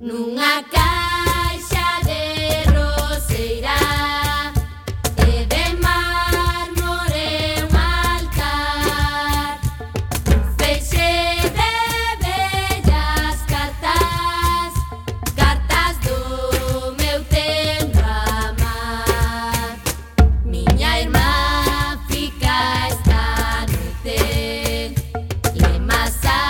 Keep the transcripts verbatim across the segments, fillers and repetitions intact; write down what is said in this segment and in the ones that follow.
nunha caixa de roseira e de mármore un altar, un feixe de bellas cartas, cartas do meu tendo amar. Miña irmá fica esta noite lemasante.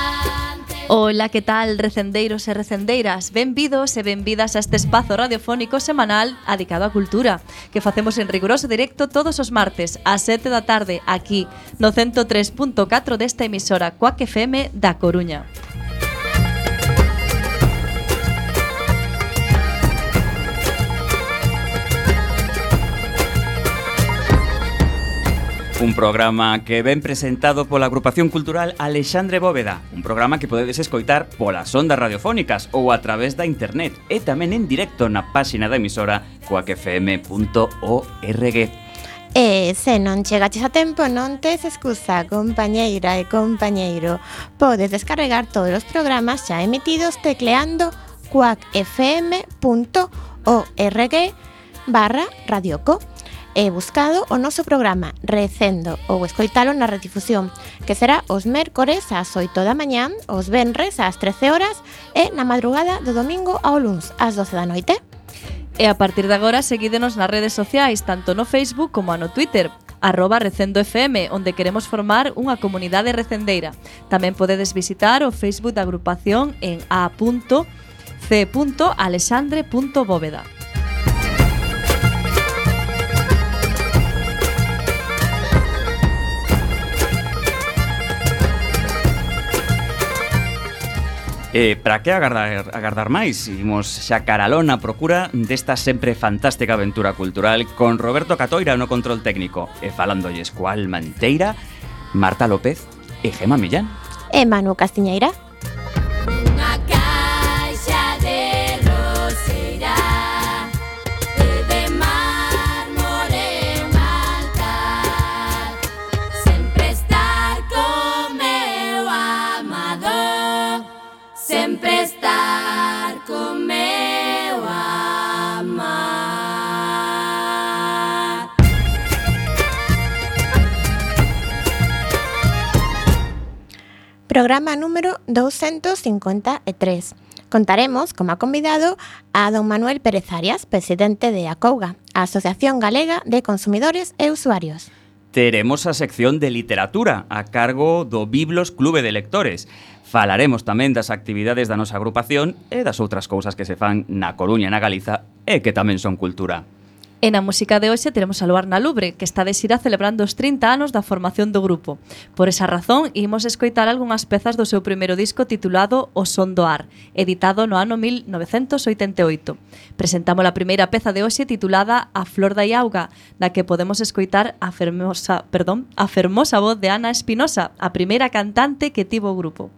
Ola, que tal, recendeiros e recendeiras? Benvidos e benvidas a este espazo radiofónico semanal dedicado á cultura que facemos en riguroso directo todos os martes ás sete da tarde aquí no ciento tres punto catro desta emisora Cuac F M da Coruña. Un programa que ven presentado pola agrupación cultural Alexandre Bóveda. Un programa que podedes escoitar polas ondas radiofónicas ou a través da internet e tamén en directo na páxina da emisora cuac f m punto org. E se non chegaches a tempo, non tes excusa, compañeira e compañeiro. Podes descarregar todos os programas xa emitidos tecleando cuac f m punto org barra radioco. E buscado o noso programa Recendo ou escoitalo na redifusión, que será os mércores ás oito da mañán, os venres ás trece horas e na madrugada do domingo ao luns ás doce da noite. E a partir de agora seguídenos nas redes sociais, tanto no Facebook como no Twitter, arroba Recendo F M, onde queremos formar unha comunidade recendeira. Tamén podedes visitar o Facebook da agrupación en a punto c punto alexandre punto bóveda. E para que agardar, agardar máis? Imos xa caralón a procura desta sempre fantástica aventura cultural con Roberto Catoira no control técnico e falándolles coa alma enteira, Marta López e Gema Millán. E Manu Castiñeira. Unha caixa de roseira e de mármore un altar, sempre estar con meu amado, sempre estar con meu amar. Programa número doscientos cincuenta y tres. Contaremos como convidado a don Manuel Pérez Arias, presidente de ACOUGA, a Asociación Galega de Consumidores e Usuarios. Teremos a sección de literatura a cargo do Biblos Clube de Lectores. Falaremos tamén das actividades da nosa agrupación e das outras cousas que se fan na Coruña e na Galiza e que tamén son cultura. E na música de hoxe teremos a Luar na Lubre, que está de xira celebrando os trinta anos da formación do grupo. Por esa razón, imos escoitar algunhas pezas do seu primeiro disco titulado O Son do Ar, editado no ano mil novecentos oitenta e oito. Presentamos a primeira peza de hoxe titulada A Flor da Iauga, na que podemos escoitar a fermosa, perdón, a fermosa voz de Ana Espinosa, a primeira cantante que tivo o grupo.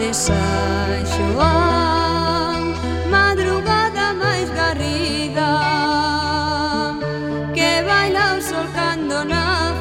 San Xoán, madrugada máis garriga, que baila o sol cando na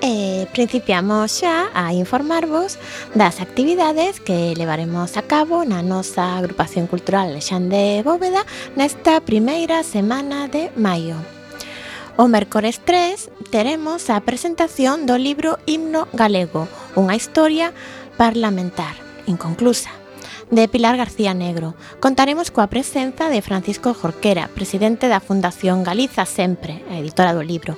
E principiamos xa a informarvos das actividades que levaremos a cabo na nosa agrupación cultural Alexandre Bóveda nesta primeira semana de maio. O mércores tres teremos a presentación do libro Himno Galego, unha historia parlamentar, inconclusa, de Pilar García Negro. Contaremos coa presenza de Francisco Jorquera, presidente da Fundación Galiza Sempre, a editora do libro,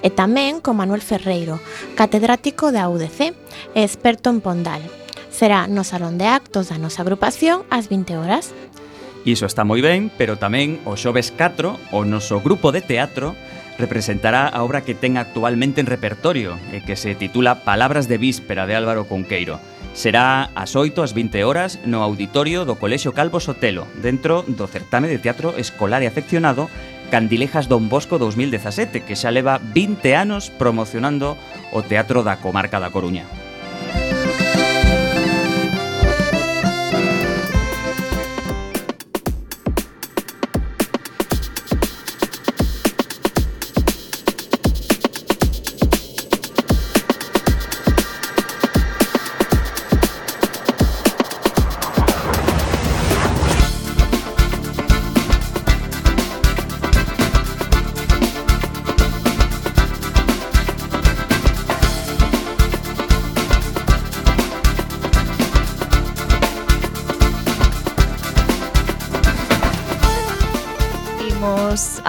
e tamén con Manuel Ferreiro, catedrático da U D C e experto en Pondal. Será no Salón de Actos da nosa agrupación ás vinte horas. Iso está moi ben, pero tamén o xoves catro, o noso grupo de teatro representará a obra que ten actualmente en repertorio e que se titula Palabras de Víspera, de Álvaro Cunqueiro. Será ás oito ás vinte horas no auditorio do Colexio Calvo Sotelo, dentro do certame de teatro escolar e afeccionado Candilejas Don Bosco dous mil dezasete, que xa leva vinte anos promocionando o teatro da comarca da Coruña.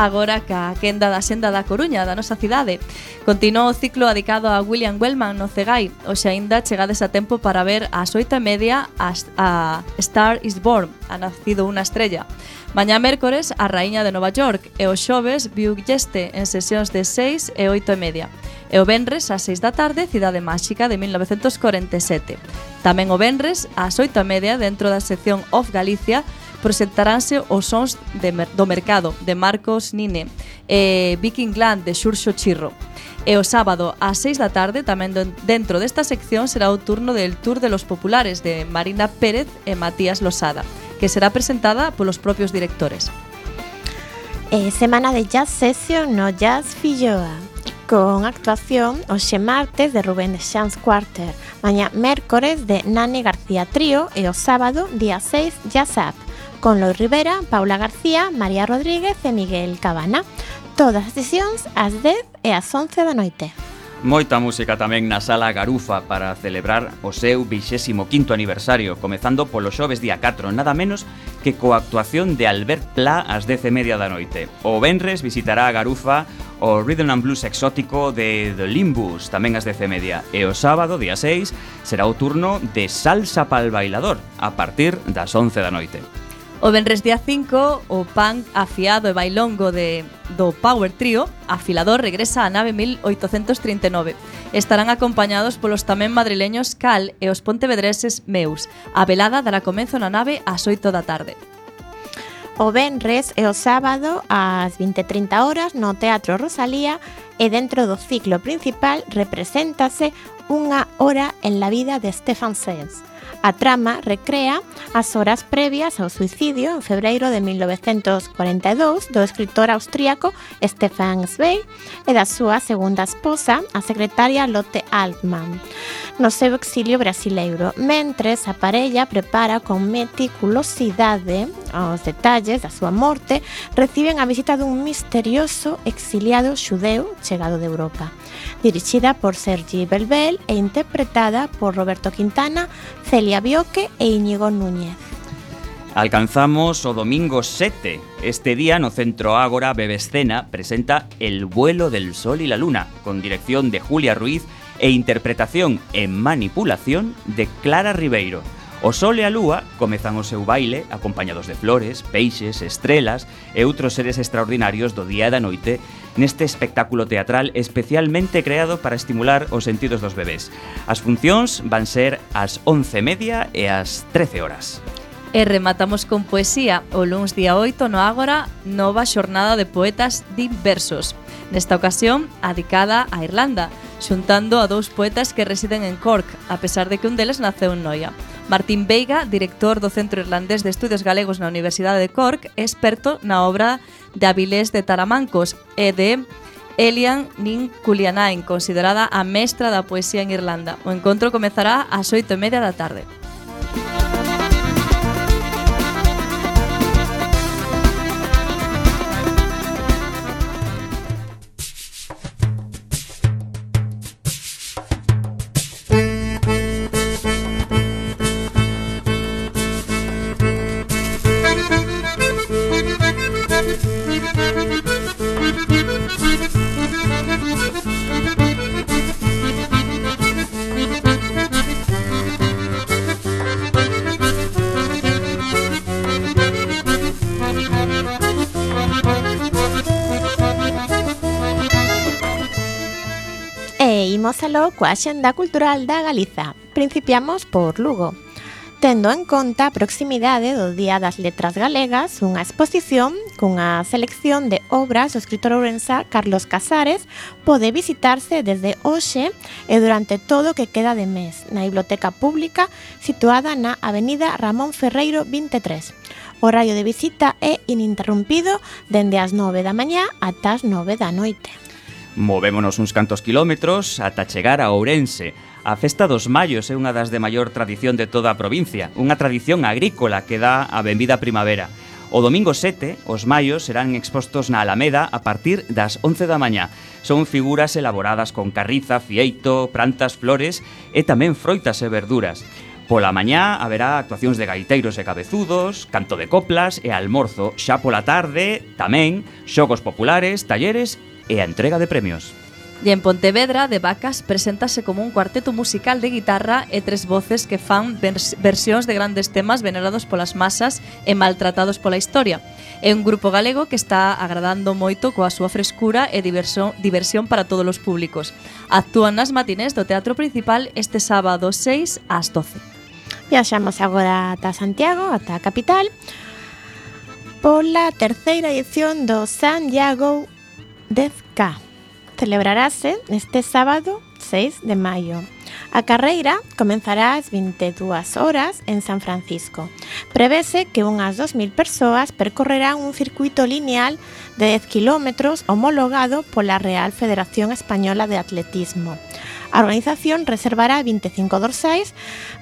Agora ca quenda da Senda da Coruña, da nosa cidade. Continuou o ciclo dedicado a William Wellman no Cegai. Hoxe aínda chegades a tempo para ver ás oito e media a, a Star is Born, ha nacido unha estrella. Mañá mércores a Raíña de Nova York e o xoves Viu Yeste en sesións de seis e oito e media. E o venres ás seis da tarde Cidade Máxica de mil novecentos corenta e sete. Tamén o venres ás oito e media dentro da sección Off Galicia presentaránse os sons de mer- do mercado de Marcos Nine e Viking Land de Xurxo Chirro. E o sábado ás seis da tarde tamén do, dentro desta sección será o turno del Tour de los Populares de Marina Pérez e Matías Losada, que será presentada polos propios directores. E semana de Jazz Session no Jazz Filloa, con actuación hoxe martes de Rubén de Chance Quarter, mañá mércores de Nani García Trío e o sábado, día seis, Jazz Up, con Lois Rivera, Paula García, María Rodríguez e Miguel Cabana. Todas as sesións ás dez e ás once da noite. Moita música tamén na Sala Garufa para celebrar o seu vixésimo quinto aniversario, comezando polo xoves día catro, nada menos que coa actuación de Albert Pla ás dez e media da noite. O venres visitará a Garufa o Rhythm and Blues exótico de The Limbus, tamén ás dez e media. E o sábado, día seis, será o turno de Salsa pal Bailador, a partir das once da noite. O venres día cinco, o punk afiado e bailongo de, do Power Trio, Afilador, regresa á nave mil oitocentos trinta e nove. Estarán acompañados polos tamén madrileños Cal e os pontevedreses Meus. A velada dará comenzo na nave ás oito da tarde. O venres e o sábado ás vinte e trinta horas no Teatro Rosalía e dentro do ciclo principal represéntase Unha hora en la vida de Stefan Zweig. A trama recrea as horas previas ao suicidio en febreiro de mil novecentos cuarenta e dous do escritor austríaco Stefan Zweig e da súa segunda esposa, a secretaria Lotte Altmann, no seu exilio brasileiro, mentres a parella prepara con meticulosidade os detalles da súa morte, reciben a visita dun misterioso exiliado xudeu chegado de Europa. Dirixida por Sergi Belbel e interpretada por Roberto Quintana, Celia Bioque e Íñigo Núñez. Alcanzamos o domingo sete. Este día no Centro Ágora Bebescena presenta El vuelo del sol y la luna, con dirección de Julia Ruiz e interpretación en manipulación de Clara Ribeiro. O sol e a lúa comezan o seu baile acompañados de flores, peixes, estrelas e outros seres extraordinarios do día e da noite neste espectáculo teatral especialmente creado para estimular os sentidos dos bebés. As funcións van ser ás once e media e ás trece horas. E rematamos con poesía. O luns día oito no Ágora, nova xornada de poetas diversos. Nesta ocasión, adicada a Irlanda, xuntando a dous poetas que residen en Cork, a pesar de que un deles naceu en Noia. Martín Veiga, director do Centro Irlandés de Estudios Galegos na Universidade de Cork, é experto na obra de Avilés de Taramancos e de Elian Nin Culianain, considerada a mestra da poesía en Irlanda. O encontro comezará ás oito e media da tarde. Imos aló coa Axenda Cultural da Galiza. Principiamos por Lugo. Tendo en conta a proximidade do Día das Letras Galegas, unha exposición cunha selección de obras do escritor ourensá Carlos Casares pode visitarse desde hoxe e durante todo o que queda de mes na Biblioteca Pública situada na Avenida Ramón Ferreiro vinte e tres. O horario de visita é ininterrumpido dende as nove da mañá ata as nove da noite. Movémonos uns cantos kilómetros ata chegar a Ourense. A Festa dos Mallos é unha das de maior tradición de toda a provincia, unha tradición agrícola que dá a benvida primavera. O domingo sete, os mallos serán expostos na Alameda a partir das once da mañá. Son figuras elaboradas con carriza, fieito, plantas, flores e tamén froitas e verduras. Pola mañá haberá actuacións de gaiteiros e cabezudos, canto de coplas e almorzo. Xa pola tarde, tamén, xogos populares, talleres e a entrega de premios. E en Pontevedra, De Vacas preséntase como un cuarteto musical de guitarra e tres voces que fan vers versións de grandes temas venerados polas masas e maltratados pola historia. É un grupo galego que está agradando moito coa súa frescura e diversión, diversión para todos os públicos. Actúan nas matinés do Teatro Principal este sábado seis ás doce. Viaxamos agora ata Santiago, ata a capital, pola terceira edición do Santiago dez K. Celebrarase este sábado seis de maio. A carreira comenzará ás vinte e dúas horas en San Francisco. Prevese que unhas dos mil persoas percorrerán un circuito lineal de dez kilómetros homologado pola Real Federación Española de Atletismo. A organización reservará vinte e cinco dorsais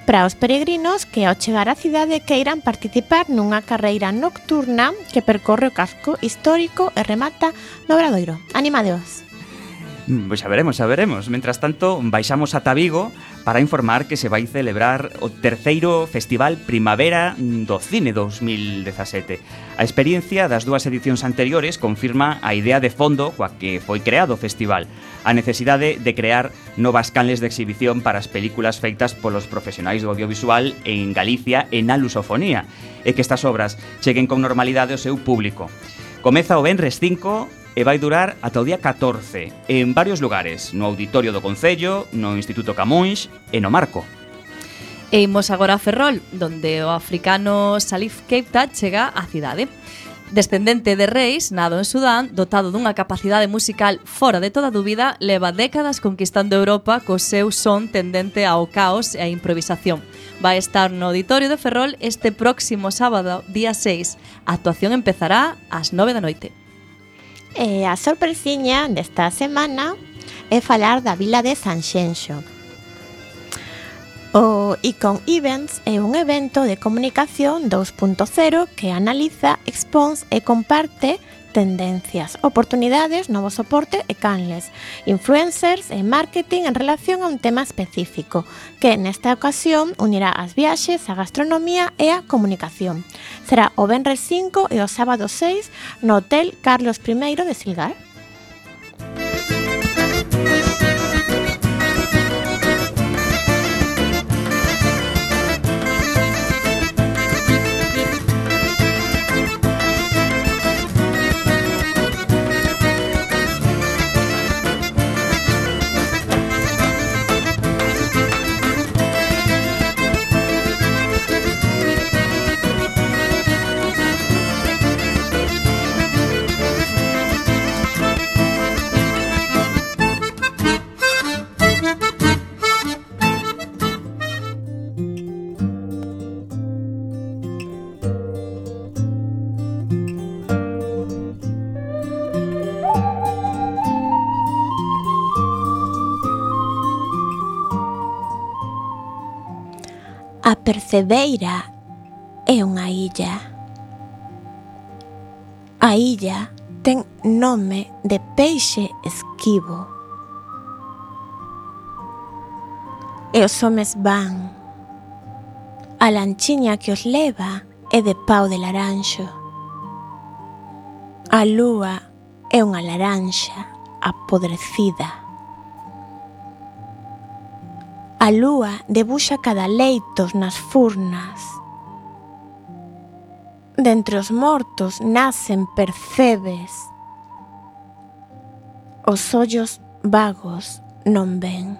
para os peregrinos que ao chegar á cidade queiran participar nunha carreira nocturna que percorre o casco histórico e remata no Obradoiro. Animadeos! Pois xa veremos, xa veremos. Mentras tanto, baixamos ata Vigo para informar que se vai celebrar o terceiro Festival Primavera do Cine dos mil dezasete. A experiencia das dúas edicións anteriores confirma a idea de fondo coa que foi creado o festival, a necesidade de crear novas canles de exhibición para as películas feitas polos profesionais do audiovisual en Galicia e na lusofonía, e que estas obras cheguen con normalidade ao seu público. Comeza o venres cinco e vai durar ata o día catorce, en varios lugares, no Auditorio do Concello, no Instituto Camões e no Marco. E imos agora a Ferrol, donde o africano Salif Keita chega á cidade. Descendente de reis, nado en Sudán, dotado dunha capacidade musical fora de toda dúbida, leva décadas conquistando Europa co seu son tendente ao caos e á improvisación. Vai estar no Auditorio de Ferrol este próximo sábado, día seis. A actuación empezará ás nove da noite. E a sorpresiña desta semana é falar da vila de Sanxenxo. O Icon Events é un evento de comunicación dos punto cero que analiza, expón e comparte tendencias, oportunidades, novo soporte e canles, influencers e marketing en relación a un tema específico, que nesta ocasión unirá as viaxes, a gastronomía e a comunicación. Será o venres cinco e o sábado seis no Hotel Carlos primeiro de Silgar. A Percebeira é unha illa. A illa ten nome de peixe esquivo. E os homes van. A lanchiña que os leva é de pau de laranxo. A lúa é unha laranxa apodrecida. A lúa debuxa cadaleitos nas furnas. Dentre os mortos nacen percebes. Os ollos vagos non ven.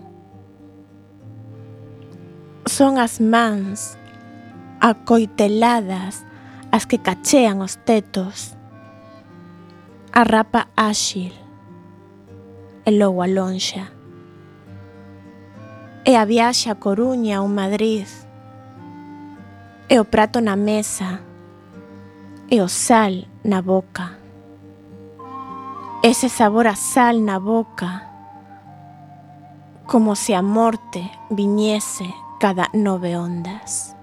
Son as mans acoiteladas as que cachean os tetos. A rapa áxil e logo a lonxa. E a viaxe a Coruña ou Madrid. E o prato na mesa. E o sal na boca. Ese sabor a sal na boca. Como se a morte viñese cada nove ondas.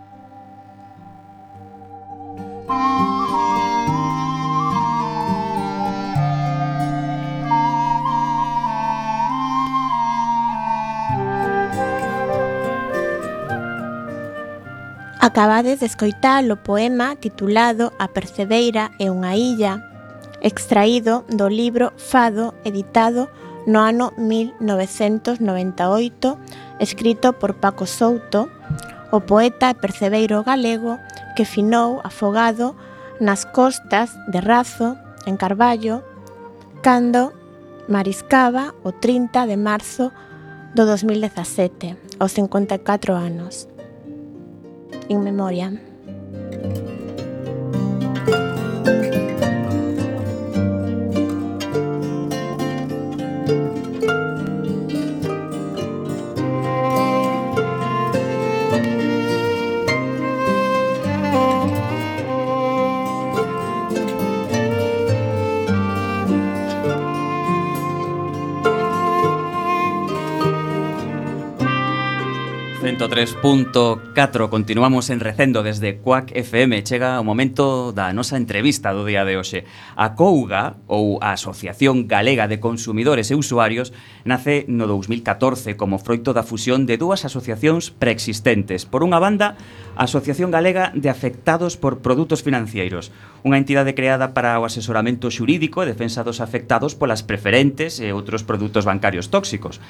Acabades de escoitar o poema titulado A Percebeira é unha illa, extraído do libro Fado, editado no ano mil novecentos noventa e oito, escrito por Paco Souto, o poeta e percebeiro galego que finou afogado nas costas de Razo, en Carballo, cando mariscaba o trinta de marzo do dos mil dezasete, aos cincuenta e catro anos. In memoria. ciento tres punto catro, continuamos en Recendo desde Cuac F M. Chega o momento da nosa entrevista do día de hoxe. A Couga, ou a Asociación Galega de Consumidores e Usuarios, nace no dous mil catorce como froito da fusión de dúas asociacións preexistentes. Por unha banda, a Asociación Galega de Afectados por Produtos Financeiros, unha entidade creada para o asesoramento xurídico e defensa dos afectados polas preferentes e outros produtos bancarios tóxicos.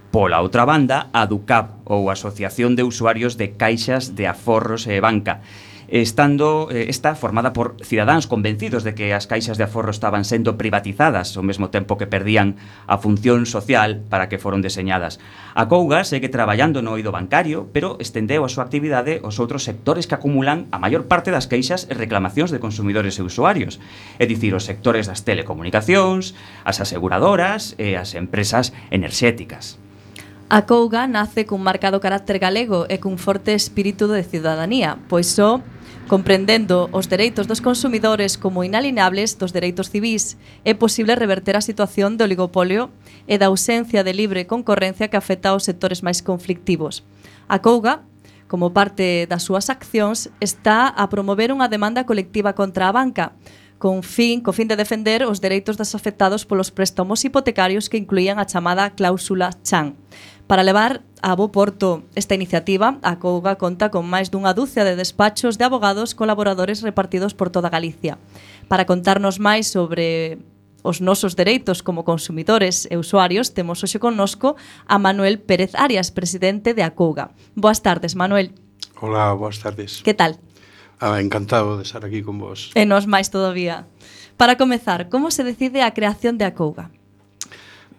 Pola outra banda, a DUCAP, ou Asociación de Usuarios de Caixas de Aforros e Banca, estando eh, esta formada por cidadáns convencidos de que as caixas de aforro estaban sendo privatizadas ao mesmo tempo que perdían a función social para que foron deseñadas. A Couga segue traballando no eido bancario, pero estendeu a súa actividade aos outros sectores que acumulan a maior parte das queixas e reclamacións de consumidores e usuarios, é dicir, os sectores das telecomunicacións, as aseguradoras e as empresas enerxéticas. A Couga nace cun marcado carácter galego e cun forte espírito de cidadanía, pois só comprendendo os dereitos dos consumidores como inalienables dos dereitos civís, é posible reverter a situación de oligopolio e da ausencia de libre concorrencia que afecta aos sectores máis conflictivos. A Couga, como parte das súas accións, está a promover unha demanda colectiva contra a banca, con fin, co fin de defender os dereitos dos afectados polos préstamos hipotecarios que incluían a chamada cláusula Chan. Para levar a bo porto esta iniciativa, a Couga conta con máis dunha dúcia de despachos de abogados colaboradores repartidos por toda Galicia. Para contarnos máis sobre os nosos dereitos como consumidores e usuarios, temos hoxe connosco a Manuel Pérez Arias, presidente de a Couga. Boas tardes, Manuel. Hola, boas tardes. Que tal? Ah, encantado de estar aquí con vos. E nos máis todavía. Para comezar, como se decide a creación de a Couga?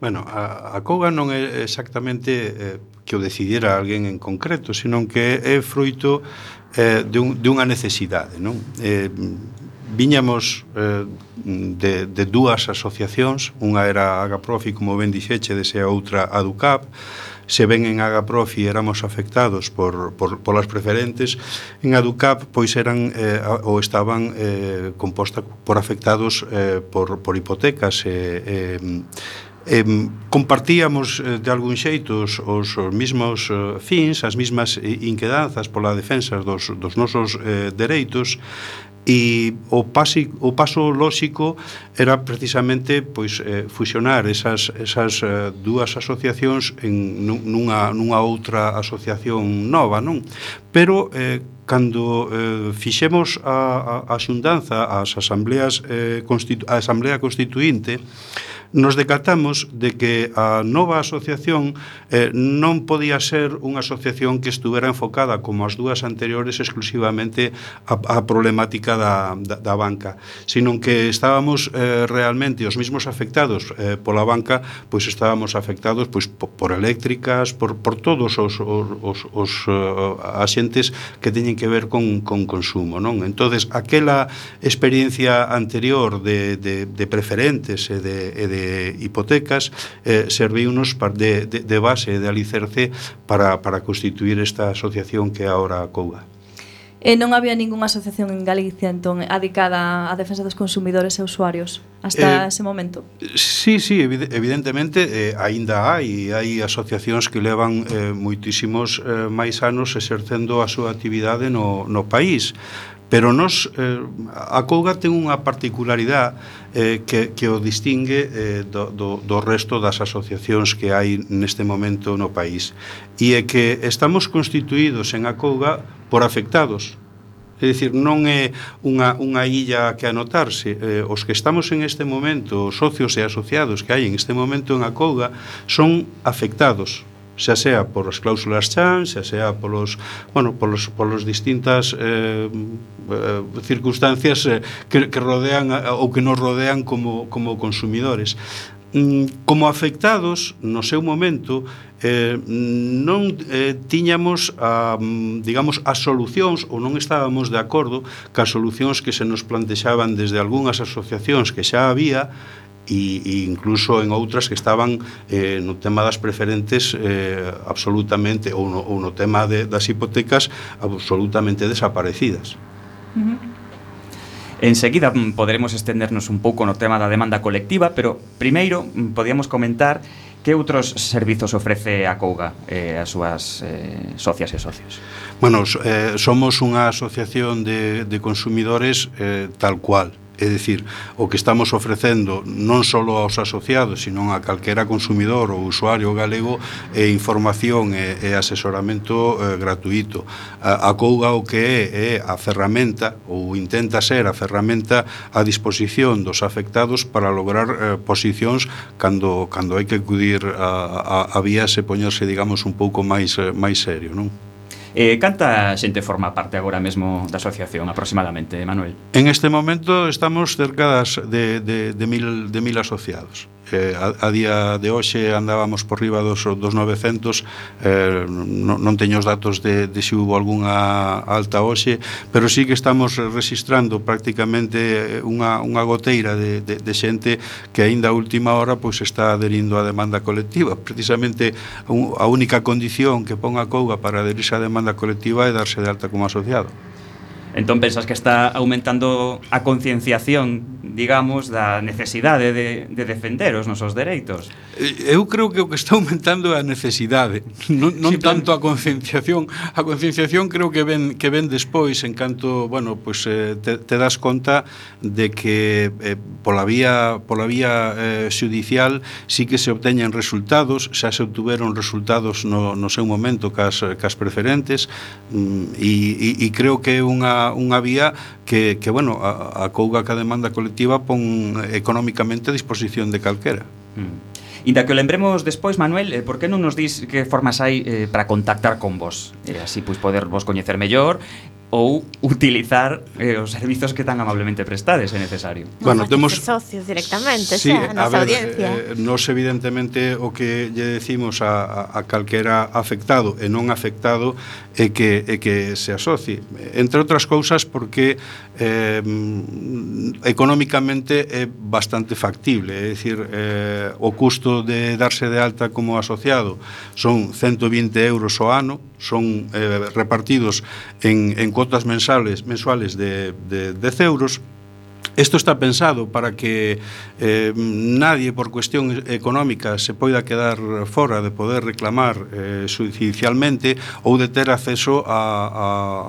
Bueno, a, a Couga non é exactamente eh, que o decidiera alguén en concreto, senón que é fruito eh, de, un, de unha necesidade, non? Eh, viñamos eh, de, de dúas asociacións, unha era Agaprofi, como ben dixeche, dese a outra a DUCAP. Se ven en Agaprofi éramos afectados por, por, polas preferentes, en Aducap pois eran eh, ou estaban eh, composta por afectados eh, por, por hipotecas e, eh, Eh, compartíamos eh, de algún xeito os, os, os mismos eh, fins, as mismas inquedanzas pola defensa dos, dos nosos eh, dereitos, e o, pasi, o paso lóxico era precisamente pois eh, fusionar esas, esas eh, dúas asociacións en nunha, nunha outra asociación nova, non? Pero eh, cando eh, fixemos a, a, a xuntanza, as asambleas eh, constitu, a asamblea constituinte, nos decatamos de que a nova asociación eh, non podía ser unha asociación que estuvera enfocada como as dúas anteriores exclusivamente a, a problemática da, da, da banca, sino que estábamos eh, realmente os mismos afectados eh, pola banca, pois estábamos afectados pois por, por eléctricas, por, por todos os, os, os, os uh, axentes que teñen que ver con, con consumo, non? Entonces, aquela experiencia anterior de, de, de preferentes e de, e de hipotecas eh, serviunos de, de, de base, de alicerce para, para constituir esta asociación que é ahora a Acouga. E non había ningunha asociación en Galicia entón adicada á defensa dos consumidores e usuarios hasta eh, ese momento? Sí, sí, evidentemente eh, aínda hai hai asociacións que levan eh, moitísimos eh, máis anos exercendo a súa actividade no, no país. Pero nos, eh, a Acouga ten unha particularidade eh, que, que o distingue eh, do, do, do resto das asociacións que hai neste momento no país. E é que estamos constituídos en Acouga por afectados. É dicir, non é unha, unha illa que anotarse. Eh, os que estamos en este momento, os socios e asociados que hai en este momento en Acouga, son afectados, xa sea por as cláusulas chan, xa sea polos, bueno, polos, polos distintas eh, eh, circunstancias eh, que, que rodean ou que nos rodean como, como consumidores. Como afectados, no seu momento, eh, non eh, tiñamos a, digamos, as solucións ou non estábamos de acordo cas solucións que se nos plantexaban desde algunhas asociacións que xa había e, e incluso en outras que estaban eh, no tema das preferentes eh, absolutamente, ou no, ou no tema de, das hipotecas absolutamente desaparecidas. Uh-huh. Enseguida poderemos estendernos un pouco no tema da demanda colectiva, pero primeiro podíamos comentar que outros servizos ofrece a Acouga eh, as súas eh, socias e socios. Bueno, eh, somos unha asociación de, de consumidores eh, tal cual. É dicir, o que estamos ofrecendo non só aos asociados, sino a calquera consumidor ou usuario galego é información e, e asesoramento eh, gratuito. A, a Acouga o que é é a ferramenta, ou intenta ser a ferramenta a disposición dos afectados para lograr eh, posicións cando, cando hai que acudir a, a, a vías e poñerse, digamos, un pouco máis, eh, máis serio, non? Eh, canta xente forma parte agora mesmo da asociación aproximadamente, Manuel? En este momento estamos cerca das de, de, de, mil, de mil asociados. Eh, a, a día de hoxe andábamos por riba dos, dos novecentos, eh, non, non teño os datos de, de se hubo algunha alta hoxe, pero sí que estamos registrando prácticamente unha, unha goteira de, de, de xente que aínda a última hora pois está adherindo á demanda colectiva. Precisamente a única condición que pon a Acouga para adherirse á demanda colectiva é darse de alta como asociado. Entón pensas que está aumentando a concienciación, digamos, da necesidade de, de defender os nosos dereitos? Eu creo que o que está aumentando é a necesidade, non, non sí, tanto a concienciación. A concienciación creo que ven, que ven despois, en canto, bueno, pues, eh, te, te das conta de que eh, pola vía, pola vía eh, xudicial sí que se obteñen resultados, xa se obtuveron resultados no, no seu momento cas, cas preferentes, e, e, e creo que é unha unha vía que, que bueno, a, a Acouga que a demanda colectiva pon económicamente a disposición de calquera. Mm. Inda que o lembremos despois, Manuel, eh, por que non nos dis que formas hai eh, para contactar con vos? Eh, así, pois, poder vos coñecer mellor ou utilizar eh, os servizos que tan amablemente prestades, é necesario. Bueno, temos socios directamente, sí, xa, a nosa ver, audiencia. Eh, nos evidentemente o que lle decimos a, a, a calquera afectado e non afectado é que, é que se asocie. Entre outras cousas porque eh, económicamente é bastante factible, é dicir, eh, o custo de darse de alta como asociado son ciento vinte euros ao ano, son eh, repartidos en, en cuotas mensuales, mensuales de, de dez euros, Esto está pensado para que eh, nadie por cuestión económica se poida quedar fora de poder reclamar eh, judicialmente ou de ter acceso a, a,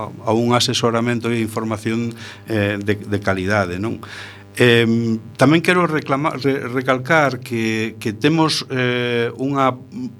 a un asesoramento e información eh, de, de calidade, non? Eh, tamén quero reclamar, re, recalcar que, que temos eh, unha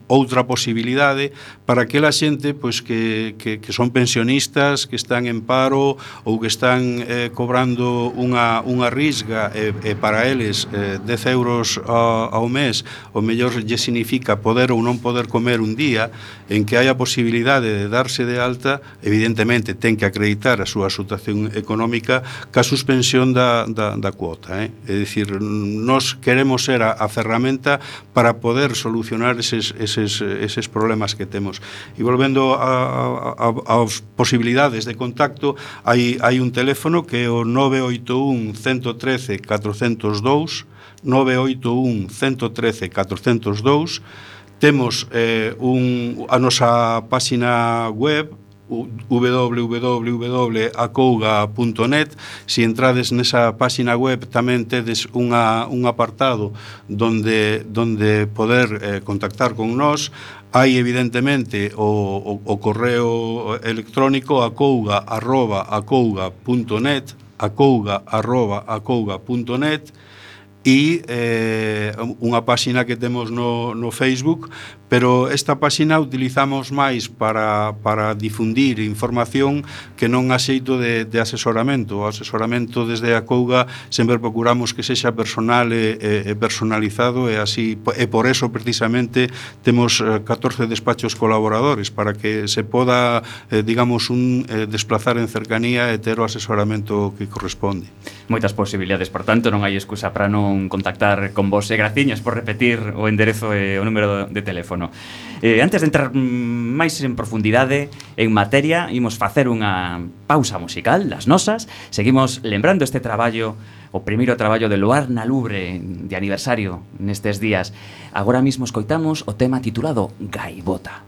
outra posibilidade para aquela xente pois, que, que, que son pensionistas, que están en paro ou que están eh, cobrando unha, unha risga e, e para eles eh, dez euros ao, ao mes o mellor lle significa poder ou non poder comer un día, en que hai a posibilidade de darse de alta, evidentemente ten que acreditar a súa situación económica ca suspensión da, da, da cuota, eh? É dicir, nós queremos ser a, a ferramenta para poder solucionar eses, eses, eses problemas que temos. E volvendo a, a, a, as posibilidades de contacto, hai, hai un teléfono que é o nove oito un, uno uno tres, catro zero dous, nove oito un, uno uno tres, catro zero dous. Temos eh, un, a nosa páxina web w w w punto acouga punto net. Si entrades nesa páxina web tamén tedes unha, un apartado donde, donde poder eh, contactar con nós. Hai evidentemente o, o, o correo electrónico acouga arroba acouga punto net, acouga arroba acouga punto net, e eh, unha páxina que temos no, no Facebook, pero esta páxina utilizamos máis para, para difundir información que non a xeito de, de asesoramento. O asesoramento desde a Acouga sempre procuramos que sexa personal e, e personalizado, e así, e por eso precisamente temos catorce despachos colaboradores, para que se poda, eh, digamos, un eh, desplazar en cercanía e ter o asesoramento que corresponde. Moitas posibilidades, por tanto, non hai excusa para non contactar con vos, e graciñas por repetir o enderezo e o número de teléfono. Eh, antes de entrar máis en profundidade en materia, imos facer unha pausa musical das nosas. Seguimos lembrando este traballo, o primeiro traballo de Luar na Lubre de aniversario nestes días. Agora mismo escoitamos o tema titulado Gaivota.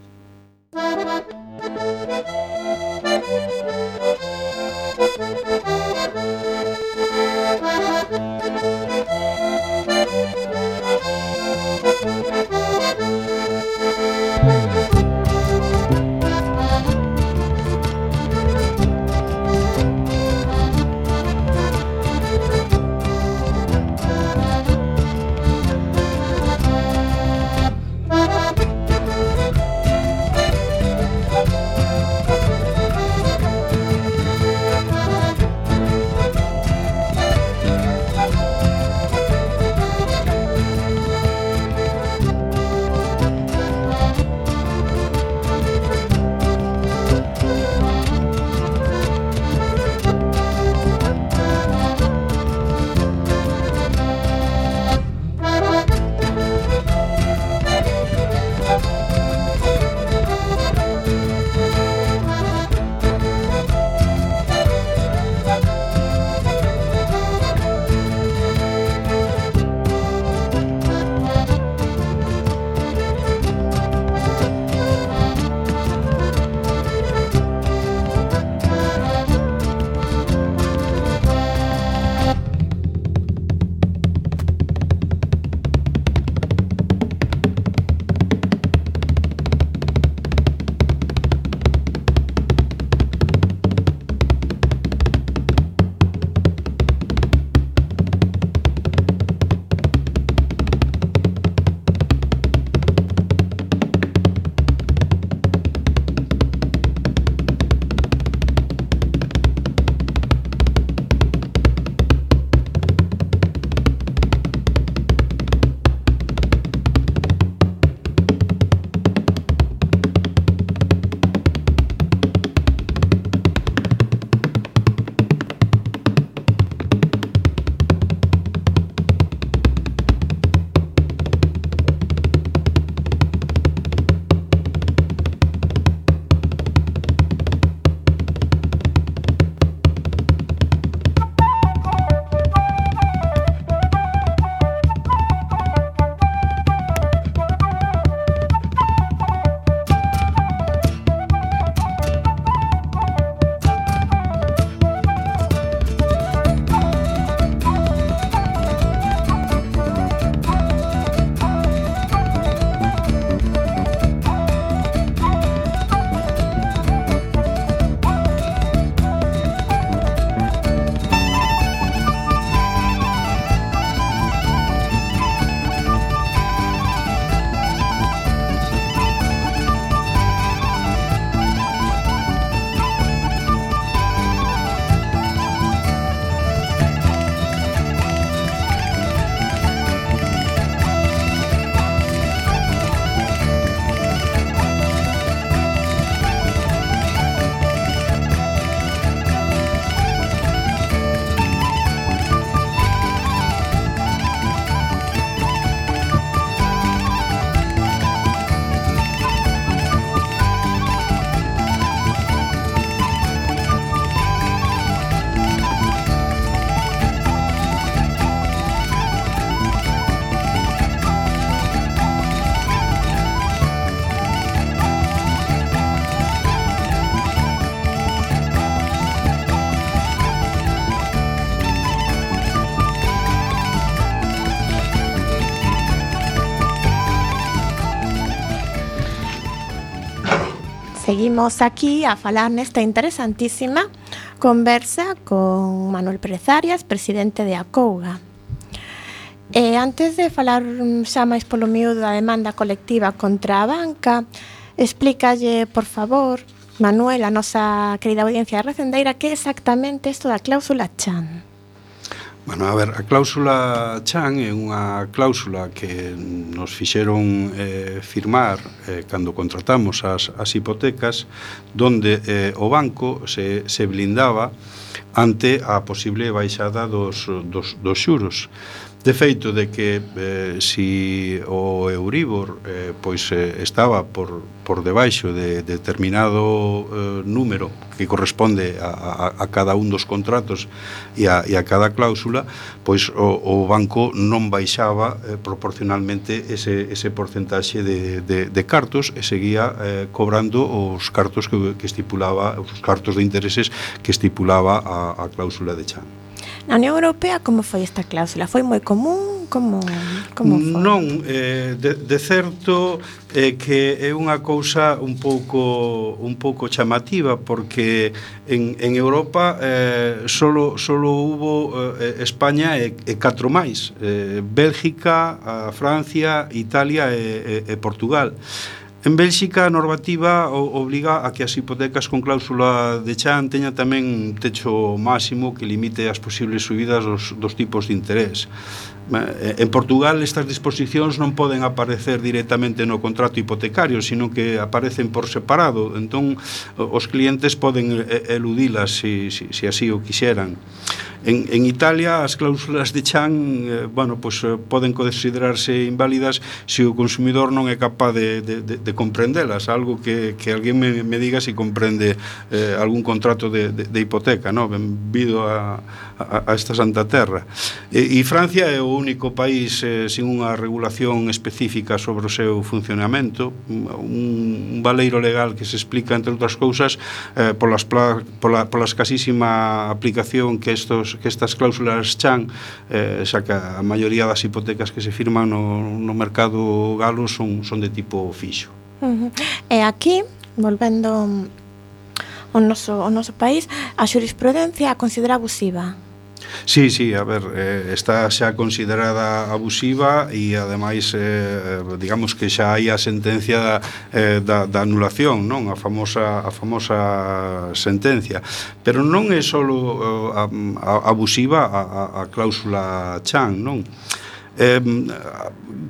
seguimos aquí a falar nesta interesantísima conversa con Manuel Pérez Arias, presidente de Acouga. E antes de falar xa máis polo miúdo da demanda colectiva contra a banca, explícalle, por favor, Manuel, a nosa querida audiencia recendeira, que é exactamente isto da cláusula Chan. Bueno, a ver, a cláusula Chan é unha cláusula que nos fixeron eh, firmar eh, cando contratamos as, as hipotecas, donde eh, o banco se, se blindaba ante a posible baixada dos, dos, dos xuros. De feito de que eh, si o Euribor eh, pois eh, estaba por, por debaixo de, de determinado eh, número que corresponde a, a, a cada un dos contratos e a, e a cada cláusula, pois o, o banco non baixaba eh, proporcionalmente ese, ese porcentaxe de, de, de cartos e seguía eh, cobrando os cartos que, que estipulaba, os cartos de intereses que estipulaba a, a cláusula de Chan. Na Unión Europea, como foi esta cláusula? Foi moi común? Como, como foi? Non, eh, de, de certo eh, que é unha cousa un pouco un pouco chamativa, porque en, en Europa eh, solo, solo hubo eh, España e, e catro máis, eh, Bélgica, a Francia, Italia e, e, e Portugal. En Bélxica, a normativa obliga a que as hipotecas con cláusula de Chan teña tamén un techo máximo que limite as posibles subidas dos, dos tipos de interés. En Portugal estas disposicións non poden aparecer directamente no contrato hipotecario, sino que aparecen por separado, entón os clientes poden eludilas se si, si, si así o quixeran. En, en Italia as cláusulas de Chan eh, bueno, pues, eh, poden considerarse inválidas se o consumidor non é capaz de, de, de, de comprendelas, algo que, que alguén me, me diga se si comprende eh, algún contrato de, de, de hipoteca, no? Benvido a, a, a esta santa terra. E, e Francia é o único país eh, sin unha regulación específica sobre o seu funcionamento, un, un valeiro legal que se explica, entre outras cousas, eh, polas, pola, pola escasísima aplicación que estos que estas cláusulas Chan, eh, xa que a maioría das hipotecas que se firman no, no mercado galo son, son de tipo fixo. Uh-huh. E aquí, volvendo ao noso, ao noso país, a xurisprudencia a considera abusiva. Sí, sí, a ver, eh, está xa considerada abusiva e ademais eh, digamos que xa hai a sentencia eh, da, da anulación, non? A famosa, a famosa sentencia. Pero non é só uh, abusiva a, a, a cláusula Chan, non? Eh,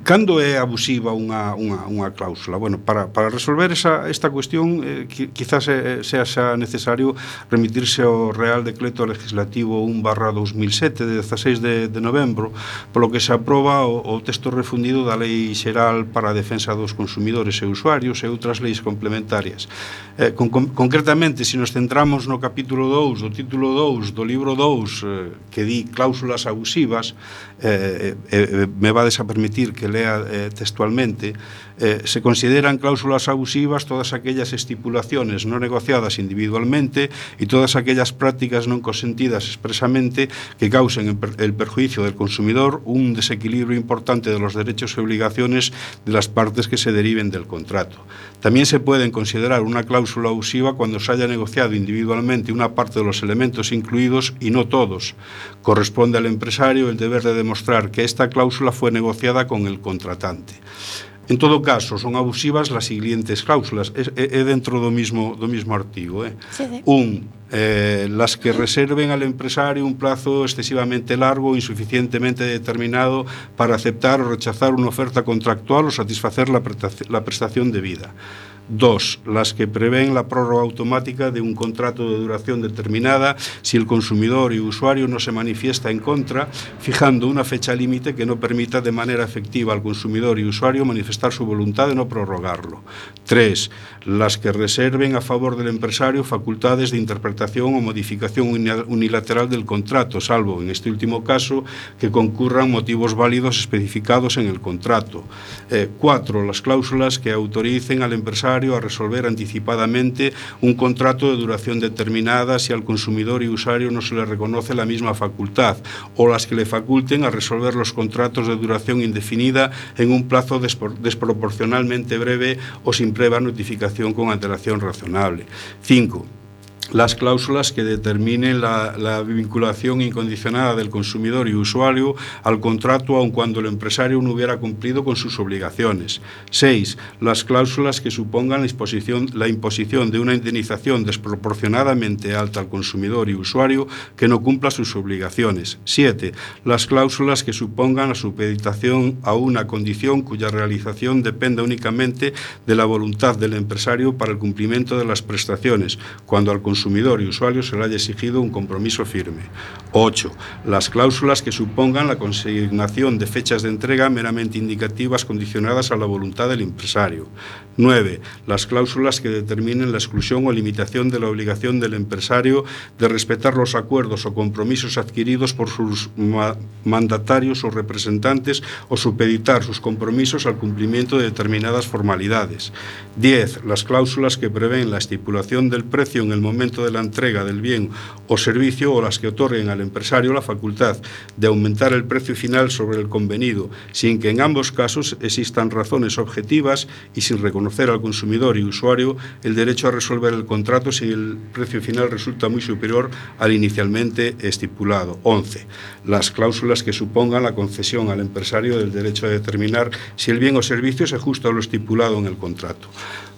cando é abusiva unha, unha, unha cláusula? Bueno, para, para resolver esa, esta cuestión eh, quizás eh, sea xa necesario remitirse ao Real Decreto Legislativo un barra dos mil sete de dezasseis de, de novembro, polo que se aproba o, o texto refundido da Lei Xeral para a Defensa dos Consumidores e Usuarios e outras leis complementarias. Eh, con, con, concretamente, se nos centramos no capítulo dous do título dous do libro dous eh, que di cláusulas abusivas, eh, eh, me vades a permitir que lea eh, textualmente, eh, se consideran cláusulas abusivas todas aquellas estipulaciones no negociadas individualmente y todas aquellas prácticas non consentidas expresamente que causen el perjuicio del consumidor, un desequilibrio importante de los derechos y obligaciones de las partes que se deriven del contrato. También se pueden considerar una cláusula abusiva cuando se haya negociado individualmente una parte de los elementos incluidos y no todos. Corresponde al empresario el deber de demostrar que esta cláusula fue negociada con el contratante. En todo caso, son abusivas las siguientes cláusulas, é, é dentro do mismo, do mismo artigo. Eh? Sí, sí. Un, eh, las que reserven al empresario un plazo excesivamente largo o insuficientemente determinado para aceptar o rechazar una oferta contractual o satisfacer la, la prestación debida. Dos, las que prevén la prórroga automática de un contrato de duración determinada si el consumidor y usuario no se manifiesta en contra, fijando una fecha límite que no permita de manera efectiva al consumidor y usuario manifestar su voluntad de no prorrogarlo. Tres, las que reserven a favor del empresario facultades de interpretación o modificación unilateral del contrato, salvo, en este último caso, que concurran motivos válidos especificados en el contrato. Eh, cuatro, las cláusulas que autoricen al empresario empresario a resolver anticipadamente un contrato de duración determinada si al consumidor y usuario no se le reconoce la misma facultad, o las que le faculten a resolver los contratos de duración indefinida en un plazo desproporcionalmente breve o sin previa notificación con antelación razonable. cinco. Las cláusulas que determinen la, la vinculación incondicionada del consumidor y usuario al contrato aun cuando el empresario no hubiera cumplido con sus obligaciones. seis. Las cláusulas que supongan la imposición, la imposición de una indemnización desproporcionadamente alta al consumidor y usuario que no cumpla sus obligaciones. siete. Las cláusulas que supongan la supeditación a una condición cuya realización dependa únicamente de la voluntad del empresario para el cumplimiento de las prestaciones, cuando al consumidor consumidor y usuario se le haya exigido un compromiso firme. ocho. Las cláusulas que supongan la consignación de fechas de entrega meramente indicativas condicionadas a la voluntad del empresario. nueve. Las cláusulas que determinen la exclusión o limitación de la obligación del empresario de respetar los acuerdos o compromisos adquiridos por sus ma mandatarios o representantes o supeditar sus compromisos al cumplimiento de determinadas formalidades. diez. Las cláusulas que prevén la estipulación del precio en el momento de la entrega del bien o servicio o las que otorguen al empresario la facultad de aumentar el precio final sobre el convenido, sin que en ambos casos existan razones objetivas y sin reconocer al consumidor y usuario el derecho a resolver el contrato si el precio final resulta muy superior al inicialmente estipulado. once. Las cláusulas que supongan la concesión al empresario del derecho a determinar si el bien o servicio se ajusta a lo estipulado en el contrato.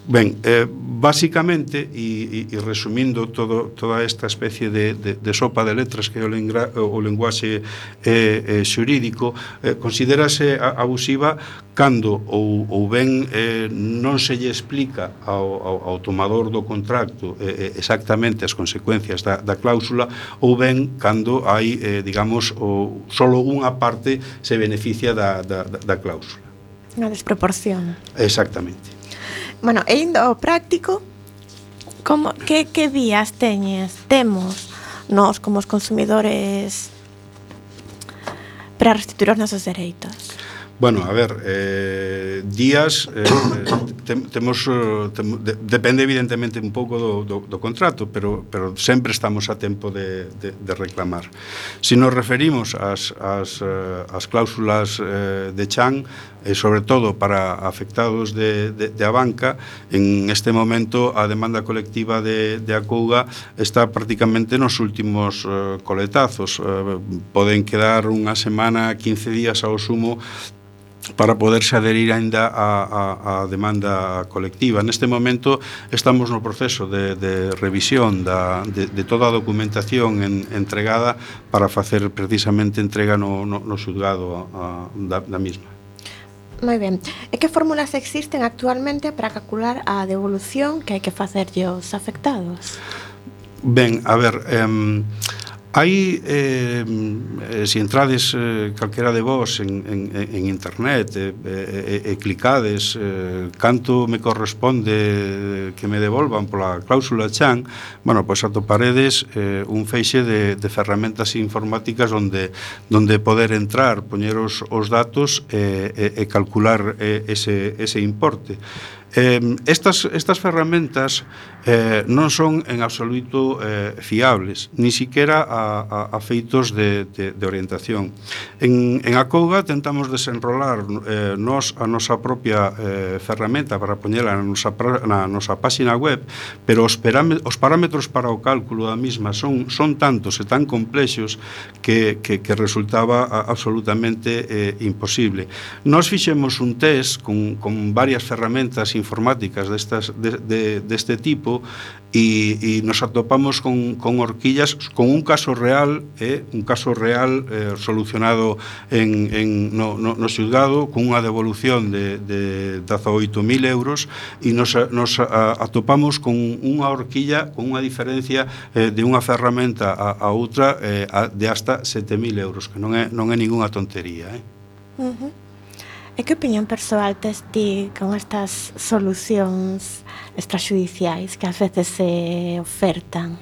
Ben, eh, básicamente, e, e, e resumindo todo, toda esta especie de, de, de sopa de letras que é o, lengra, o lenguaxe eh, eh, xurídico, eh, considerase abusiva cando ou, ou ben eh, non se lle explica ao, ao, ao tomador do contrato eh, exactamente as consecuencias da, da cláusula, ou ben cando hai, eh, digamos, o, solo unha parte se beneficia da, da, da cláusula. Unha desproporción. Exactamente. Bueno, e indo ao práctico, como, que, que vías teñes, temos nós como os consumidores para restituir os nosos dereitos? Bueno, a ver, eh, días eh, te, temos te, de, depende evidentemente un pouco do, do, do contrato, pero, pero sempre estamos a tempo de, de, de reclamar. Se nos referimos ás, ás, ás cláusulas eh, de Chan, e sobre todo para afectados de, de, de a banca, en este momento a demanda colectiva de, de Acouga está prácticamente nos últimos eh, coletazos. Eh, poden quedar unha semana, quince días ao sumo para poderse adherir aínda a, a, a demanda colectiva. Neste momento estamos no proceso de, de revisión da, de, de toda a documentación en, entregada para facer precisamente entrega no, no, no xulgado a, a, da, da misma. Moi ben. E que fórmulas existen actualmente para calcular a devolución que hai que facerlle aos afectados? Ben, a ver, eh, hai, eh, se entrades eh, calquera de vos en, en, en internet e eh, eh, eh, clicades eh, canto me corresponde que me devolvan pola cláusula Chan, bueno, pois pues atoparedes eh, un feixe de, de ferramentas informáticas onde, onde poder entrar, poñer os, os datos e, e, e calcular eh, ese, ese importe. Eh, estas, estas ferramentas eh, non son en absoluto eh, fiables, ni siquiera a, a, a feitos de, de, de orientación. En, en Acouga tentamos desenrolar eh, nos a nosa propia eh, ferramenta para poñela na nosa, na nosa páxina web, pero os, os parámetros para o cálculo da misma son, son tantos e tan complexos que, que, que resultaba absolutamente eh, imposible. Nos fixemos un test con, con varias ferramentas informáticas destas, de, de, deste tipo e, e nos atopamos con, con horquillas, con un caso real, eh, un caso real eh, solucionado en, en, no, no, no xulgado con unha devolución de, de dezaoito mil euros e nos, nos a, atopamos con unha horquilla con unha diferencia eh, de unha ferramenta a, a outra eh, a, de hasta sete mil euros, que non é, non é ningunha tontería. Eh? Uh-huh. E que opinión persoal tes ti con estas solucións extrajudiciais que ás veces se ofertan?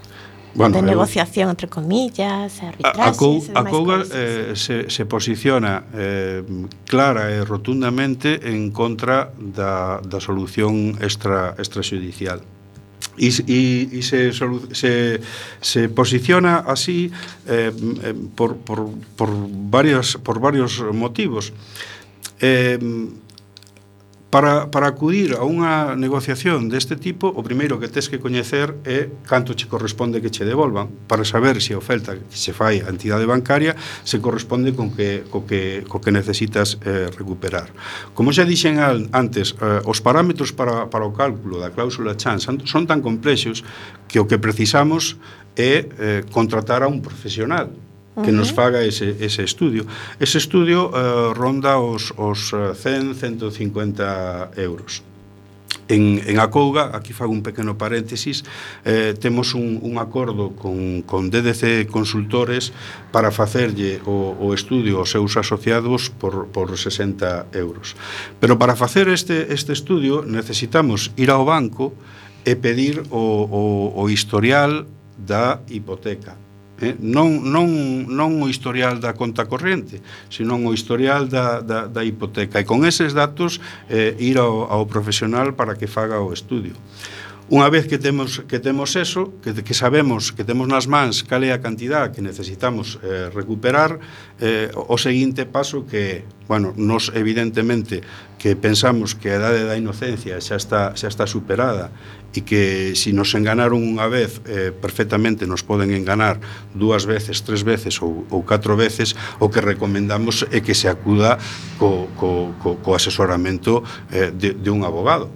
Bueno, de eu- negociación, entre comillas, A, a, arbitraxes, Cou, e a demais Couga cousas. eh, se, se posiciona eh, clara e rotundamente en contra da, da solución extra, extrajudicial. E, e, e se, solu- se, se posiciona así eh, eh, por, por, por, varios, por varios motivos. Eh, Para, para acudir a unha negociación deste tipo, o primeiro que tes que coñecer é canto che corresponde que che devolvan, para saber se a oferta que se fai a entidade bancaria se corresponde con que, co que, co que necesitas eh, recuperar. Como xa dixen al, antes, eh, os parámetros para, para o cálculo da cláusula Chan son, son tan complexos que o que precisamos é eh, contratar a un profesional que nos faga ese, ese estudio. Ese estudio eh, ronda os, os cen, ciento cincuenta euros. En, en Acouga, aquí fago un pequeno paréntesis, eh, temos un, un acordo con, con D D C Consultores para facerlle o, o estudio aos seus asociados por, por sesenta euros. Pero para facer este, este estudio necesitamos ir ao banco e pedir o, o, o historial da hipoteca. Eh, non, non, non o historial da conta corriente, senón o historial da, da, da hipoteca, e con eses datos eh, ir ao, ao profesional para que faga o estudio. Unha vez que temos, que temos eso, que, que sabemos que temos nas mans cal é a cantidad que necesitamos eh, recuperar, eh, o seguinte paso que, bueno, nos evidentemente que pensamos que a idade da inocencia xa está, xa está superada e que se nos enganaron unha vez eh, perfectamente nos poden enganar dúas veces, tres veces ou, ou catro veces, o que recomendamos é que se acuda co, co, co, co asesoramento eh, de, de un abogado.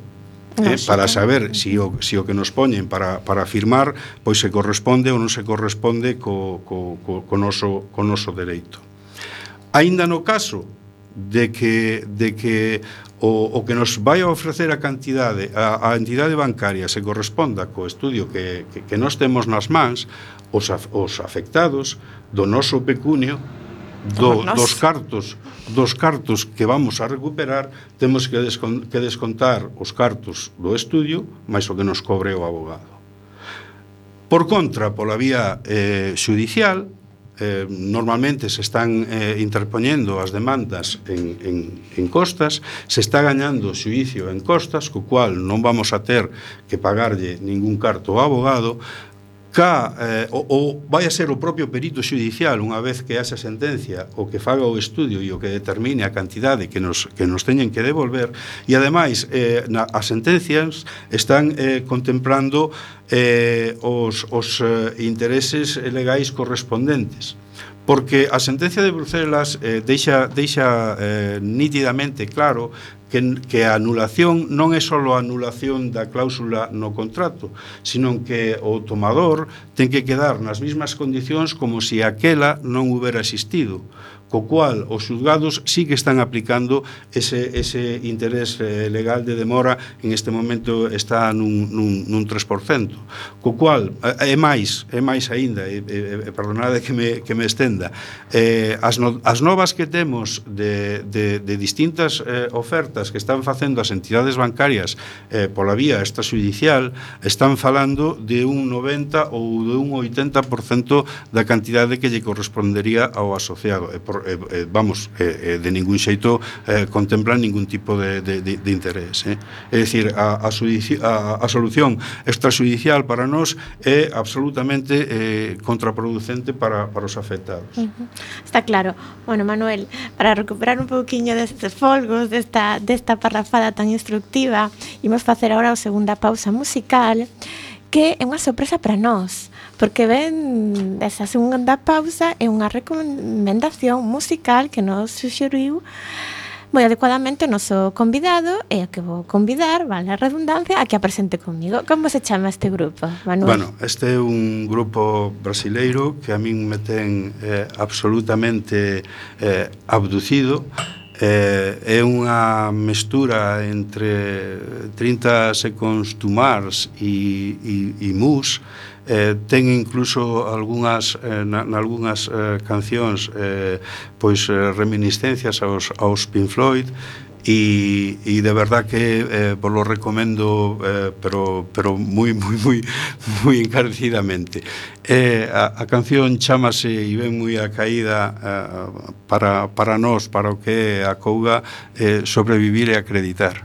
Eh, para saber si o, si o que nos poñen para, para firmar pois se corresponde ou non se corresponde co, co, co, co, noso, co noso dereito. Aínda no caso de que, de que o, o que nos vai a ofrecer a cantidade a, a entidade bancaria se corresponda co estudio que, que, que nos temos nas mans, os, af, os afectados do noso pecunio, do, dos cartos dos cartos que vamos a recuperar, temos que, descon, que descontar os cartos do estudio máis o que nos cobre o abogado. Por contra, pola vía eh, xudicial, eh, normalmente se están eh, interpoñendo as demandas en, en, en costas, se está gañando o xuicio en costas, co cual non vamos a ter que pagarlle ningún carto ao abogado, ca, eh, o, o vai a ser o propio perito xudicial, unha vez que haxa sentencia, o que faga o estudio e o que determine a cantidade que nos, que nos teñen que devolver, e ademais eh, na, as sentencias están eh, contemplando eh, os, os eh, intereses legais correspondentes, porque a sentencia de Bruselas eh, deixa, deixa eh, nítidamente claro que, que a anulación non é só a anulación da cláusula no contrato, sino que o tomador ten que quedar nas mesmas condicións como se aquela non houbera existido, co cual os xulgados sí que están aplicando ese, ese interés eh, legal de demora, en este momento está nun, nun, nun tres por cento, co cual é máis, é máis aínda, e, e, perdonade que me, que me estenda, eh, as, no, as novas que temos de, de, de distintas eh, ofertas que están facendo as entidades bancarias eh, pola vía extrajudicial, están falando de un noventa ou de un oitenta por cento da cantidade que lle correspondería ao asociado, e por Eh, eh, vamos, eh, eh, de ningún xeito eh, contemplan ningún tipo de, de, de, de interés, eh. É dicir, a, a, sudici, a, a solución extrajudicial para nós é absolutamente eh, contraproducente para, para os afectados. Uh-huh. Está claro. Bueno, Manuel, para recuperar un pouquiño destes folgos desta, desta parrafada tan instructiva, imos facer agora a segunda pausa musical, que é unha sorpresa para nós, porque ven esa segunda pausa é unha recomendación musical que nos suxeriu moi adecuadamente o noso convidado, e a que vou convidar, vale a redundancia, a que a presente comigo. Como se chama este grupo, Manuel? Bueno, este é un grupo brasileiro que a min me ten eh, absolutamente eh, abducido. Eh, é unha mestura entre trinta Seconds to Mars e, e, e Muse. Eh, ten incluso algunhas eh, na, nalgunhas eh, cancións eh, pois eh, reminiscencias aos, aos Pink Floyd, y, y de verdad que eh, vos lo recomiendo, eh, pero, pero muy, muy, muy, muy encarecidamente. Eh, a, a canción chámase e ven moi a caída eh, para, para nós, para o que é a Couga, eh, sobrevivir e acreditar.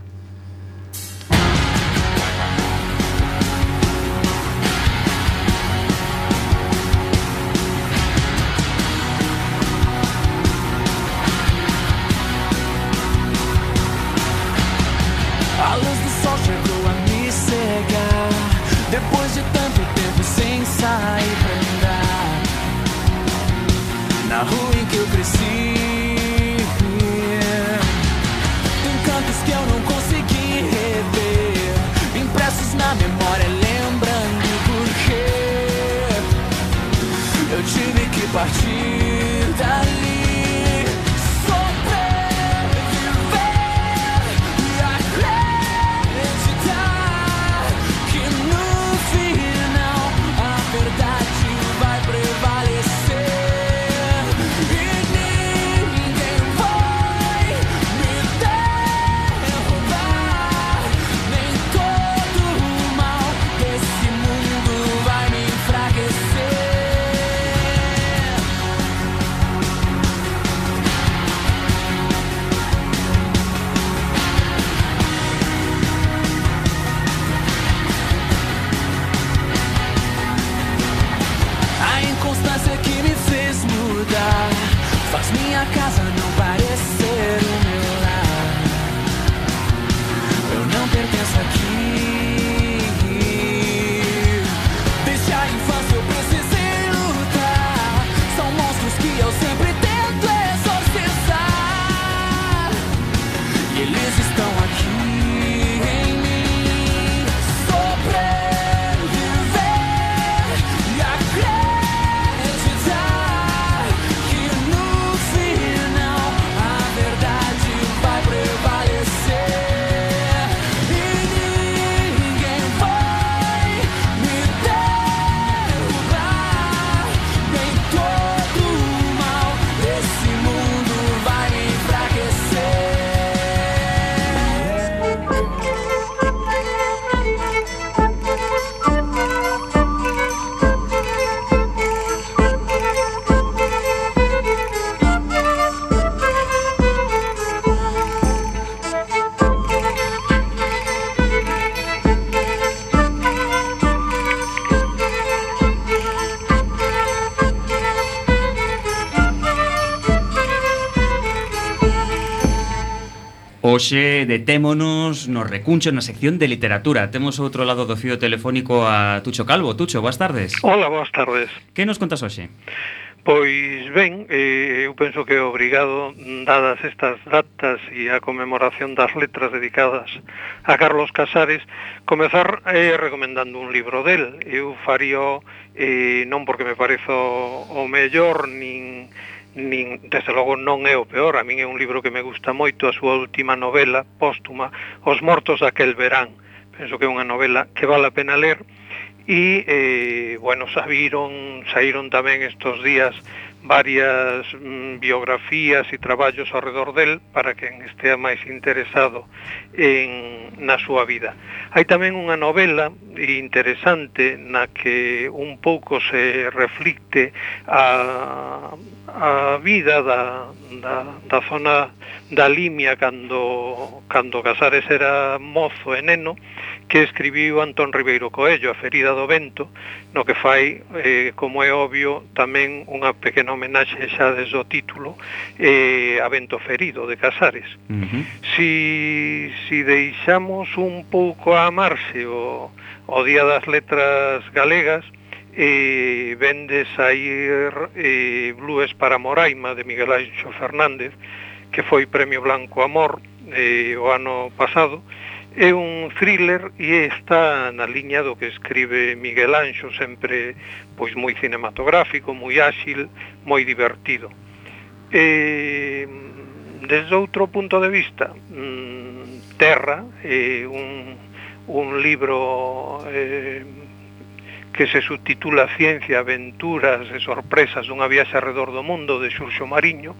A luz do sol chegou a me cegar. Depois de tanto tempo sem sair pra andar na rua em que eu cresci, encantos que eu não consegui rever, impressos na memória, lembrando porque eu tive que partir dali. Faz minha casa não parecer o meu lar. Eu não pertenço aqui. Desde a infância eu precisei lutar. São monstros que eu sempre tento exorcizar. E eles estão aqui em mim. Sobreviver e acreditar. Hoxe detémonos no recuncho na sección de literatura. Temos ao outro lado do fío telefónico a Tucho Calvo. Tucho, boas tardes. Hola, boas tardes. Que nos contas hoxe? Pois ben, eh, eu penso que é obrigado, dadas estas datas e a conmemoración das letras dedicadas a Carlos Casares, comezar eh, recomendando un libro del. Eu faría eh, non porque me parezo o mellor, nin, nin, desde logo non é o peor. A min é un libro que me gusta moito, a súa última novela póstuma, Os mortos daquel verán. Penso que é unha novela que vale a pena ler. E, eh, bueno, saíron, saíron tamén estos días varias mm, biografías e traballos ao redor del para quen estea máis interesado en, na súa vida. Hai tamén unha novela interesante na que un pouco se reflicte a, a vida da, da, da zona da Limia cando, cando Casares era mozo e neno, que escribiu Antón Ribeiro Coello, A ferida do vento, no que fai, eh, como é obvio, tamén unha pequena homenaxe xa desde o título, eh, a Vento ferido, de Casares. Uh-huh. Si, si deixamos un pouco a amarse o, o Día das Letras Galegas, eh, ven de sair eh, Blues para Moraima, de Miguel Anxo Fernández, que foi Premio Blanco Amor eh, o ano pasado. É un thriller e está na liña do que escribe Miguel Anxo, sempre pois moi cinematográfico, moi áxil, moi divertido. E, desde outro punto de vista, Terra é un, un libro eh, que se subtitula Ciencia, Aventuras e Sorpresas dunha viaxe alrededor do mundo, de Xurxo Mariño,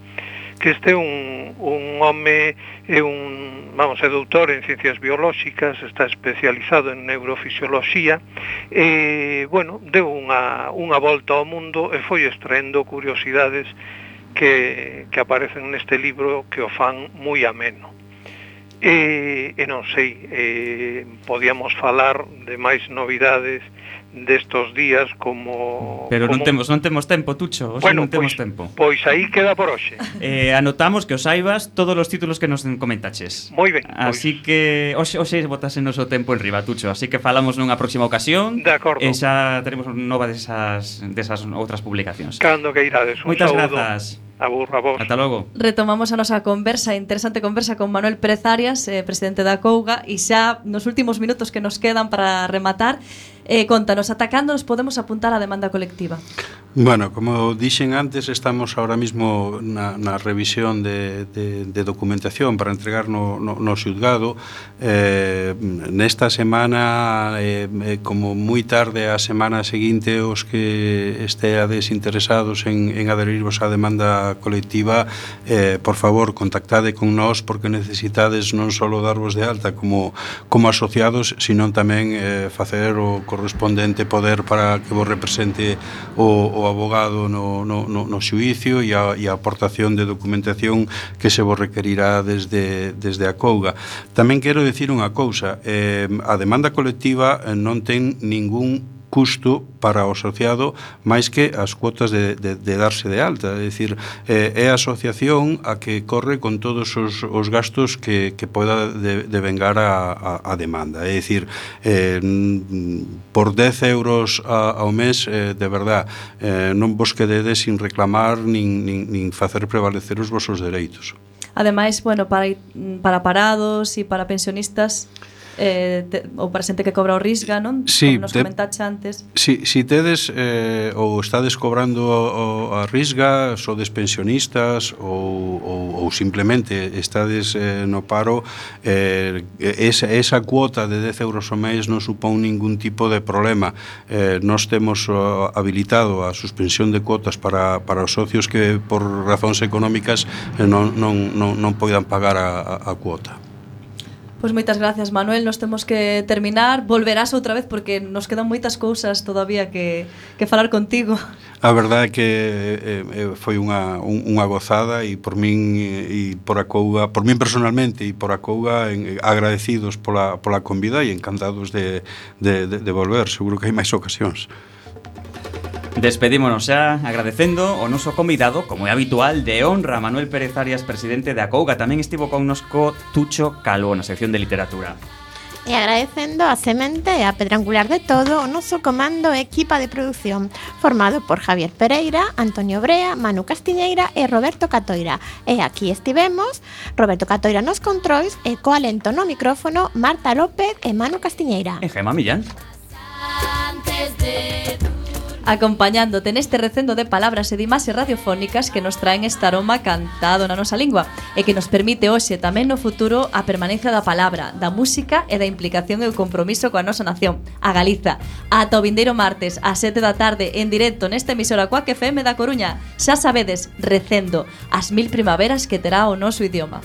que este é un, un home, é un, vamos, é doutor en ciencias biolóxicas, está especializado en neurofisioloxía, e, bueno, deu unha, unha volta ao mundo e foi extraendo curiosidades que, que aparecen neste libro que o fan moi ameno. E, e non sei, eh, podíamos falar de máis novidades destos días como... Pero como... non temos non temos tempo, Tucho, hoxe bueno, non temos pois, tempo. Pois aí queda por hoxe. Eh, anotamos que os saibas todos os títulos que nos comentaches. Moi ben. Así pois. que hoxe, hoxe botas en noso tempo en riba, Tucho, así que falamos nunha próxima ocasión. De acordo. E xa teremos nova desas, desas outras publicacións. Cando que irades. Un Moitas saúdo. grazas. Abur, a vos. Ata logo. Retomamos a nosa conversa, interesante conversa con Manuel Pérez Arias, eh, presidente da Acouga, e xa nos últimos minutos que nos quedan para rematar, eh, contanos, ata cando nos podemos apuntar á demanda colectiva? Bueno, como dixen antes, estamos ahora mismo na, na revisión de, de, de documentación para entregar no, no, no xulgado. Eh, nesta semana, eh, como moi tarde a semana seguinte, os que esteades interesados en, en adherirvos á demanda colectiva, eh, por favor, contactade con nós, porque necesitades non só darvos de alta como, como asociados, sino tamén eh, facer o correspondente poder para que vos represente o, o abogado no, no, no, no xuicio e a, e a aportación de documentación que se vos requerirá desde, desde a Acouga. Tamén quero decir unha cousa, eh, a demanda colectiva non ten ningún custo para o asociado máis que as cuotas de, de, de darse de alta, é dicir, eh, é a asociación a que corre con todos os, os gastos que, que poda de, de vengar a, a, a demanda, é dicir, eh, por dez euros a, ao mes, eh, de verdad, eh, non vos quededes sin reclamar nin, nin, nin facer prevalecer os vosos dereitos. Ademais, bueno, para, para parados e para pensionistas, eh, te, ou para xente que cobra o Risga, non? Sí, como nos te, comentaxe antes. Si, si tedes eh, ou estades cobrando o, a Risga, sodes pensionistas ou, ou, ou simplemente estades eh, no paro, eh, esa, esa cuota de dez euros ao mes non supón ningún tipo de problema. Eh, nós temos uh, habilitado a suspensión de cuotas para, para os socios que por razóns económicas eh, non, non, non, non poidan pagar a, a, a cuota. Pois moitas gracias, Manuel, nos temos que terminar. Volverás outra vez porque nos quedan moitas cousas todavía que, que falar contigo. A verdade é que eh, foi unha, unha gozada e por min e por a Acouga, por min personalmente e por a Acouga en, agradecidos pola, pola convida e encantados de, de, de, de volver. Seguro que hai máis ocasións. Despedímonos xa agradecendo o noso convidado, como é habitual, de honra, Manuel Pérez Arias, presidente de Acouga. Tamén estivo connosco Tucho Calvo na sección de literatura. E agradecendo a semente e a pedra angular de todo o noso comando e equipa de produción, formado por Javier Pereira, Antonio Brea, Manu Castiñeira e Roberto Catoira. E aquí estivemos, Roberto Catoira nos controis e co alento no micrófono Marta López e Manu Castiñeira. E Gema Millán. Antes de acompañándote neste recendo de palabras e de imaxes radiofónicas que nos traen este aroma cantado na nosa lingua e que nos permite hoxe tamén no futuro a permanencia da palabra, da música e da implicación e o compromiso coa nosa nación, a Galiza. Ata o vindeiro martes ás sete da tarde en directo nesta emisora Cuac F M da Coruña. Xa sabedes, recendo as mil primaveras que terá o noso idioma.